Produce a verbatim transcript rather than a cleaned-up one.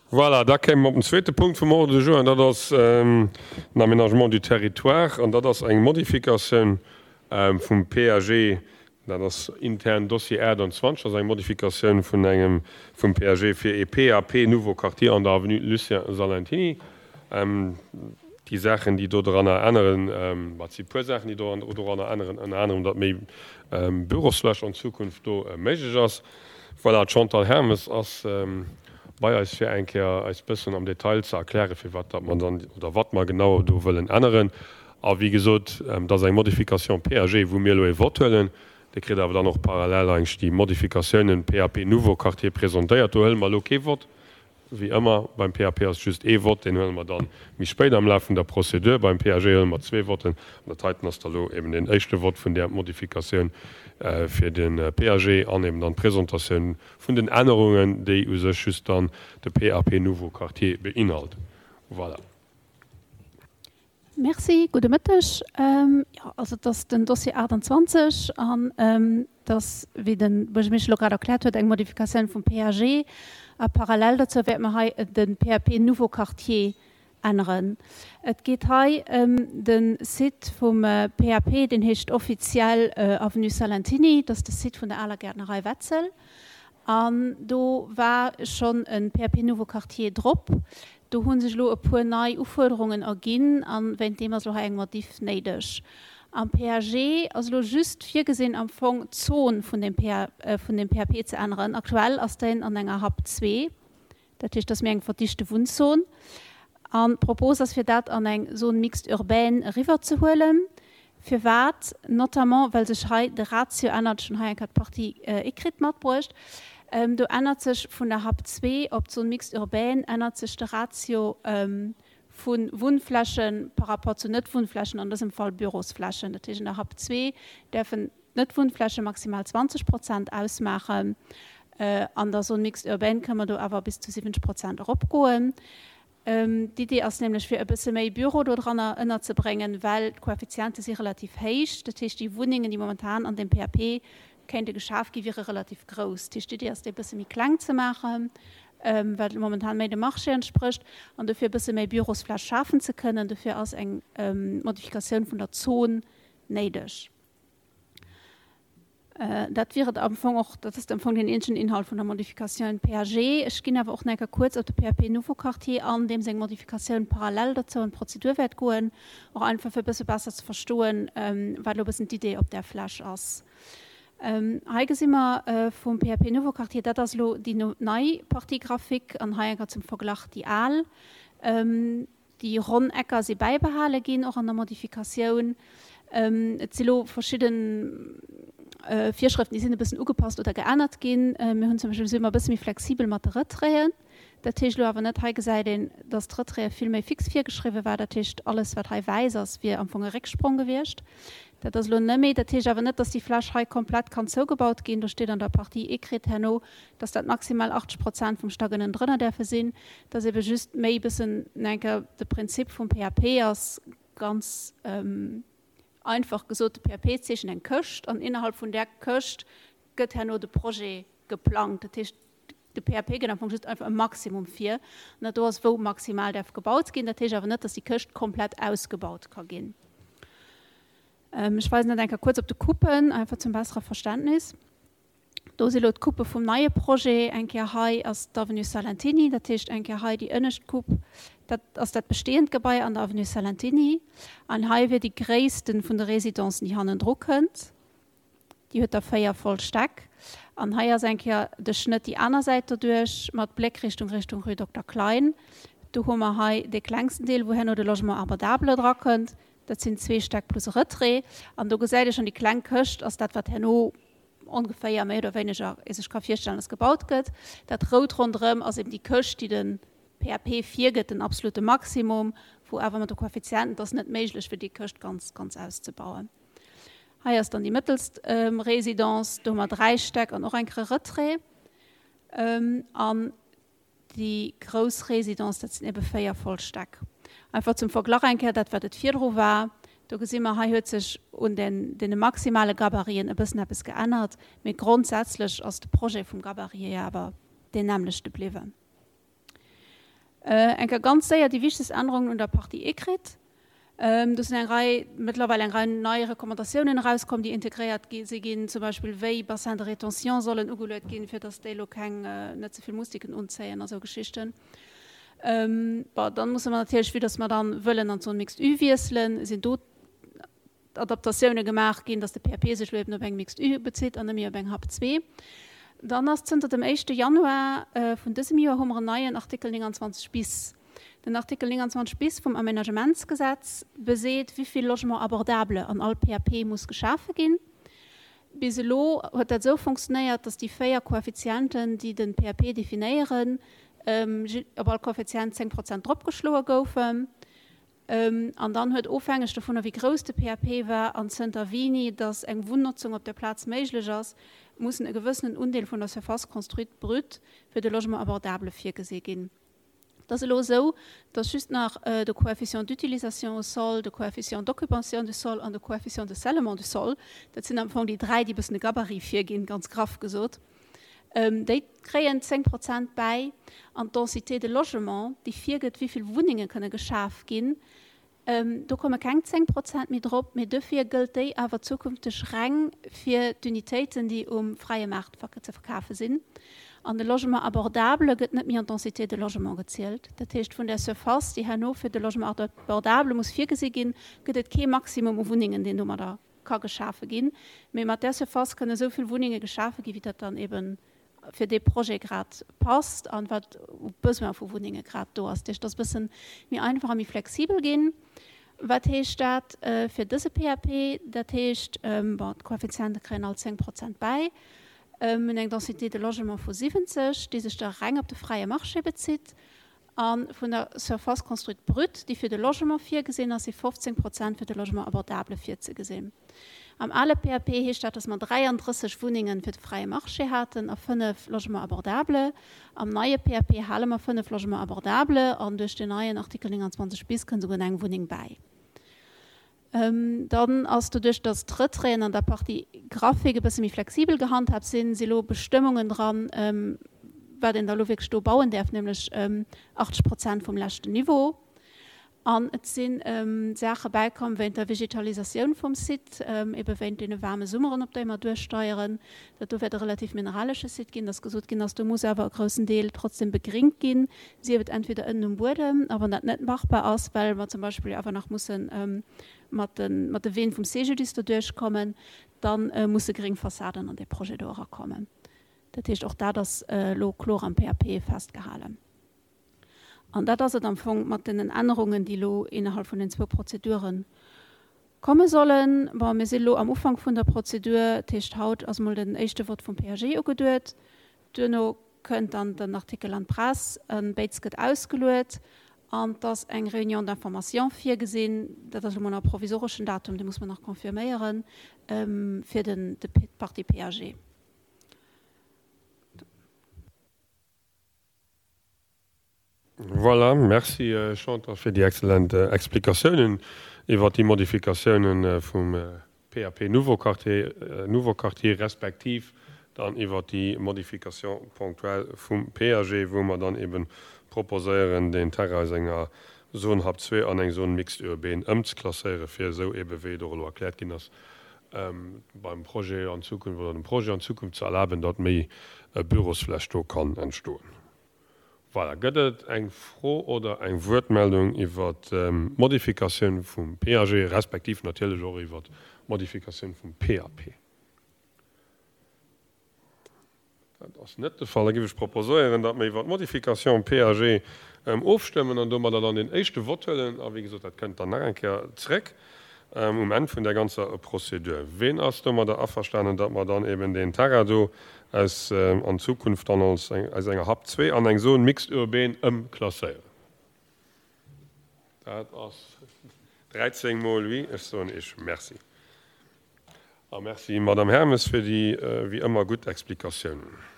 Voilà, da kéime mer op den zweete Punkt vum Ordre du jour, an dat ass den Aménagement du territoire, an dat ass eng Modifikatioun vum P A G, dat ass intern Dossier achttanzwanzeg, dat ass eng Modifikatioun vun engem vum P A G fir e P A P Nouveau Quartier an der Avenue Lucien Salentiny. Déi Saachen, déi do dranner änneren, wat si puer Saachen, déi doranner änneren, ënner anerem, datt méi Bürosfläch an Zukunft do méiglech ass. Voilà, d'Chantal Hermes ass bei eis, fir eng Kéier eis bëssen am Detail ze erklären, fir wat dat mer dann oder wat mer genau do wëllen änneren. A wéi gesot, dat ass eng Modification P A G, wou mir elo e Vott huelen. Dir kritt awer dann och parallel eigentlech déi Modifikatiounen P A P Nouveau Quartier presentéiert. Do huele mer elo kee Vott. Wéi ëmmer, beim P A P ass just ee Vott, deen huele mer dann méi spéit am Laf vun der Prozedur. Beim P A G huele mer zwee Votten. An dat heiten ass da lo eben den éischte Vott vun där Modifikatioun fir de P A G an eben dann d'Presentatioun vun den Ännerungen, déi u sech just dann de P A P Nouveau Quartier beinhalten. Voilà. Merci, gudde Mëtteg. Jo, also et ass den Dossier achttanzwanzeg an et ass, wéi de Buergermeeschter elo grad erkläert huet, eng Modifikatioun vum P A G. A parallel dozou wäerte mer hei de P A P Nouveau Quartier änneren. Et geet hei ëm de Site vum P A P, deen heescht offiziell Avenue Salentiny, dat ass de Site vun der aler Gäertnerei Wetzel. An do war schonn e P A P Nouveau Quartier drop. Do hu sech elo e puer nei Ufuerderungen erginn a wéint deem ass elo hei eng Modif néideg. Am P A G ass elo just virgesinn, am Fong d'Zon vun deem vun deem P A P ze änneren. Aktuell ass deen an enger HAP zwee, dat heescht, dat ass méi eng verdichte Wunnzon. An d'Propos ass, fir dat an eng Zone mixte urbaine eriwwerzehuelen. Firwat? Notamment well sech hei de Ratio ännert. Ech hunn hei eng Kéier d'Partie écrite matbruecht. Do ännert sech vun der HAP zwee op d'Zone mixte urbaine ännert sech de Ratio vu Wunnfläche par rapport zu Net-Wunnflächen, an dësem Fall Bürosflächen. Dat heescht, an der HAP zwee däerfen d'Net-Wunnfläche maximal zwanzeg Prozent ausmaachen. An der Zone mixte urbaine kënne mer do awer bis zu siwwenzeg Prozent eropgoen. D'Idee ass nämlech, fir e bësse méi Büro do dranner ënnerzebréngen, well d'Koeffiziente si relativ héich. Dat heescht, déi Wunnengen, déi momentan an dem P A P kéinte geschaf gi, wiere relativ grouss. Dat heescht, d'Idee ass, déi e bësse méi kleng ze maachen, wat momentan méi dem Marché entsprécht, an dofir e bësse méi Bürosfläch schafen ze kënnen. Dofir ass eng Modifikatioun vun der Zon néideg. Dat wier et am Fong och, dat ass am Fong den eenzegen Inhalt vun der Modifikatioun P A G. Ech ginn awer och nach eng Kéier kuerz op de P A P Nouveau Quartier an, deem seng Modifikatioun parallel dozou an d'Prozedur wäert goen, och einfach fir e bësse besser ze verstoen, wat elo e bëssen d'Idee op där Fläch ass. Hei gesi mer vum P A P Nouveau Quartier, dat ass elo déi nei Partie graphique an hei eng Kéier zum Verglach déi al. Déi ronn Ecker si bäibehale ginn, och an der Modifikatioun. Et si lo verschidde Virschrëften, déi sinn e bëssen ugepasst oder geännert ginn. Mir hunn zum Beispill, si mer e bësse méi flexibel mat de Retraiten. Dat heescht elo awer net, hei gesäit een, datt d'Retraite vill méi fix virgeschriwwe war. Dat heescht, alles, wat hei wäiss ass, wier am Fong e Récksprong gewiescht. Dat ass elo net méi. Dat heescht awer net, datt déi Fläch hei komplett kann zougebaut ginn. Do steet an der Partie écrite herno, datt dat maximal achtzeg Prozent vum Stack ënnendrënner däerfe sinn. Dat ass ebe just méi e bëssen enker de Prinzip vum P A P ass ganz einfach gesot, de P A P zeechent eng Këscht an innerhalb vun där Këscht gëtt herno de Projet geplangt. Dat heescht, de P A P gëtt am Fong just einfach e Maximum vir, an dat do ass, wou maximal däerf gebaut ginn. Dat heescht awer net, datt déi Këscht komplett ausgebaut ka ginn. Ech weisen dat eng Kéier kuerz op de Coupen, einfach zum bessere Verständnis. Do si lo d'Coupe vum neie Projet. Eng Kéier hei ass d'Avenue Salentiny, dat heescht eng Kéier hei déi ënnescht Coupe, dat ass dat bestehend Gebai an der Avenue Salentiny. An hei wier déi gréisste vun de Residencen, déi hannendru kënnt. Déi huet da véier voll Stäck. An hei ass eng Kéier de Schnëtt déi aner Säit doduerch mat Bléckrichtung Richtung Rue Dokter Klein. Do hu mer hei dee klengsten Deel, wou herno de Logement abordable drakënnt. Dat sinn zwee Stäck plus Retrait. An do gesäit ee schonn, déi kleng Këscht ass dat, wat herno ongeféier méi oder wéineger ee sech ka virstellen, dass gebaut gëtt. Dat Rout ronderëm ass eben déi Këscht, déi de P A P virgëtt, den absolute Maximum, wou awer mat de Koeffizienten, et ass net méiglech, fir déi Këscht ganz, ganz auszebauen. Hei ass dann déi mëttelst Residence, do hu mer dräi Stäck an och eng Kéier e Retrait. An déi grouss Residence, dat sinn ebe véier voll Stäck. Einfach zum Verglach eng Kéier dat, wat et virdru war. Do gesi mer, hei huet sech un den, deene maximale Gabariten e bëssen eppes geännert, mee grondsätzlech ass de Projet vum Gabarit hier awer deen nämmlechte bliwwen. Eng Kéier ganz séier déi wichtegst Ännerungen un der Partie écrite. Do sinn eng Rei, mëttlerweil eng Rei nei Recommandatiounen erauskomm, déi integréiert gi si ginn, zum Beispill wéi Bassins de rétention sollen ugeluet ginn, fir dass déi elo keng, net ze vill Moustiquen unzéien a sou Geschichten. Bon, dann musse mer natierlech, vue dass mer dann wëllen an d'Zone mixte U wiesselen, sinn do Adaptatioune gemaach ginn, dass de P A P sech elo eben op eng Mixte U bezitt an net méi op eng Hap zwee. Dann ass zënter dem éischte Januar vun dësem Joer hu mer en neien Artikel neunundzwanzeg bis. Den Artikel neunundzwanzeg bis vum Aménagementsgesetz beseet, wéi vill Logement abordable an all P A P muss geschafe ginn. Bis elo huet dat esou funktionéiert, dass déi véier Koeffizienten, déi de P A P definéieren, op all Koeffizient zéng Prozent dropgeschloe goufen. An dann huet, ofhängeg dovunner, wéi grouss de P A P war an zënter wéini dass eng Wunnnotzung op der Plaz méiglech ass, mussen e gewëssenen Undeel vun der Surface construite brute fir de Logement abordable virgesi ginn. Et ass elo esou, dass just nach de Coefficient d'utilisation au sol, de Coefficient d'occupation du sol an de Coefficient de scellement du sol, dat sinn am Fong déi dräi, déi e bëssen de Gabarit virginn, ganz graff gesot, déi kréien zéng Prozent bäi. An d'Densité de logement, déi virgëtt, wéi vill Wunnenge kënne geschaf ginn, do komme keng zéng Prozent méi drop, mee dofir gëllt déi awer zukünfteg reng fir d'Unitéiten, déi um fräie Maart ze verkafe sinn. An de Logement abordable gëtt net méi an d'Densité de logement gezielt. Dat heescht, vun der Surface, déi herno fir de Logement abordable muss virgesi ginn, gëtt et kee Maximum u Wunnengen, deen domadder ka geschafe ginn. Mee mat där Surface kënne esou vill Wunnenge geschafe ginn, wéi dat dann eben fir dee Projet grad passt an wat u Besoin vu Wunnenge grad do ass. Dat heescht, et ass e bësse méi einfach a méi flexibel ginn. Wat heescht dat fir dëse P A P? Dat heescht, bon, d'Koeffiziente kréien all zéng Prozent bäi. Mir hunn eng Densité de logement vu siwwenzeg, déi sech da reng op de fräie Marché bezitt. A vun der Surface construite brute, déi fir de Logement virgesinn ass, si fofzéng Prozent fir de Logement abordable virzegesinn. Am ale P A P heescht dat, dass mer dräiandrësseg Wunnenge fir de fräie Marché haten a fënnef Logements abordables. Am neie P A P hale mer fënnef Logements abordables an duerch den neien Artikel neunundzwanzeg bis kënnt souguer eng Wunneng bäi. Dann ass doduerch, dass d'Retraiten an der Partie Grafik e bësse méi flexibel gehandhabt sinn, si lo Bestëmmungen dran, wat een da lo wierklech do bauen däerf, nämlech achtzeg Prozent vum leschten Niveau. An et sinn Saache bäikomm wéint der Vegetalisatioun vum Site, ebe wéint deene waarme Summeren, op déi mer duerchsteieren. Dat do wäert e relativ mineralesche Site ginn, dass gesot ginn ass, do muss awer e groussen Deel trotzdem begringt ginn, sief et entweder ënnen um Buedem, a wann dat net machbar ass, well mer zum Beispill awer nach mussen mat de, mat de Ween vum C G D I S do duerchkommen, dann musse gréng Fassaden an dee Projet do erakommen. Dat heescht, och dat ass elo kloer am P A P festgehalen. An dat ass et am Fong mat den Ännerungen, déi elo innerhalb vun den zwou Prozeduren komme sollen. Bon, mir sinn elo am Ufank vun der Prozedur, dat heescht, haut ass mol den éischte Vott vum P A G ugeduet. Duerno kënnt dann den Artikel an d'Press, en Béiz gëtt ausgeluet an et ass eng Réunion d'information virgesinn, dat ass elo mol nach e provisoreschen Datum, dee muss man nach confirméieren, fir den, de Partie P A G. Voilà, merci Chantal fir déi exzellent Explikatiounen iwwer déi Modifikatiounen vum P A P Nouveau Quartier, Nouveau Quartier respektiv dann iwwer déi Modification ponctuelle vum P A G, wou mer dann eben proposéieren, den Terrain aus enger Zone Hap zwee an eng Zone mixte urbaine ëmzeklasséieren, fir esou eben, wéi et och elo erkläert ginn ass, beim Projet an Zukunft oder dem Projet an Zukunft ze erlaben, datt méi Bürosfläch do kann entstoen. Voilà, gëtt et eng Fro oder eng Wuertmeldung iwwer d'Modifikatioun vum P A G, respektiv natierlech och iwwer d'Modifikatioun vum P A P? Dat ass net de Fall. Da géif ech proposéieren, datt mir iwwer d'Modifikatioun P A G ofstëmmen an domadder dann den éischte Vott huelen. A wéi gesot, dat kënnt dann nach eng Kéier zréck um Enn vun der ganzer Prozedur. Ween ass domadder averstanen, datt mer dann eben den Terrain do aus, an Zukunft dann als eng, aus enger Hap zwee an eng Zone mixte urbaine ëmklasséieren? Dat ass dreizéng mol oui. Ech soen Iech Merci. A merci, Madame Hermes, fir déi, wéi ëmmer gutt Explikatiounen.